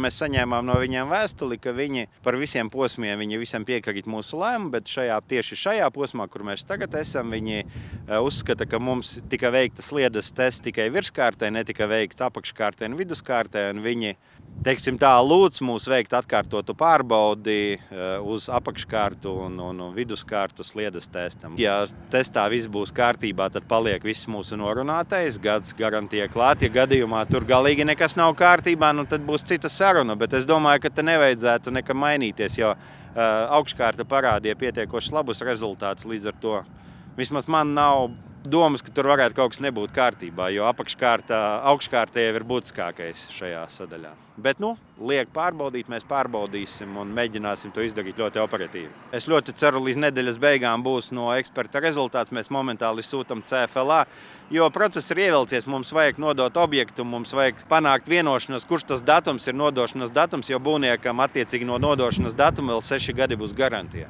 Mēs saņēmām no viņiem vēstuli, ka viņi par visiem posmiem visam piekrīt mūsu lēmumu, bet tieši šajā posmā, kur mēs tagad esam, viņi uzskata, ka mums tika veikta sliedes tests tikai virskārtē, netika veikts apakškārtē un viduskārtē, un viņi, teiksim tā, lūdz mūs veikt atkārtotu pārbaudi uz apakškārtu un viduskārtu sliedes testam. Ja testā viss būs kārtībā, tad paliek viss mūsu norunātais, gads garantija klāt. Ja gadījumā tur galīgi nekas nav kārtībā, tad būs cita saruna, bet es domāju, ka te nevajadzētu nekam mainīties, jo augškārta parādīja pietiekoši labus rezultātus, līdz ar to vismaz man nav domas, ka tur varētu kaut kas nebūt kārtībā, jo augškārta jau ir būtiskākais šajā sadaļā. Bet, liek pārbaudīt, mēs pārbaudīsim un mēģināsim to izdarīt ļoti operatīvi. Es ļoti ceru, līdz nedēļas beigām būs no eksperta rezultāts. Mēs momentāli sūtam CFLA, jo process ir ievilcies. Mums vajag nodot objektu, mums vajag panākt vienošanos, kurš tas datums ir nodošanas datums, jo būvniekam attiecīgi no nodošanas datuma vēl 6 gadi būs garantija.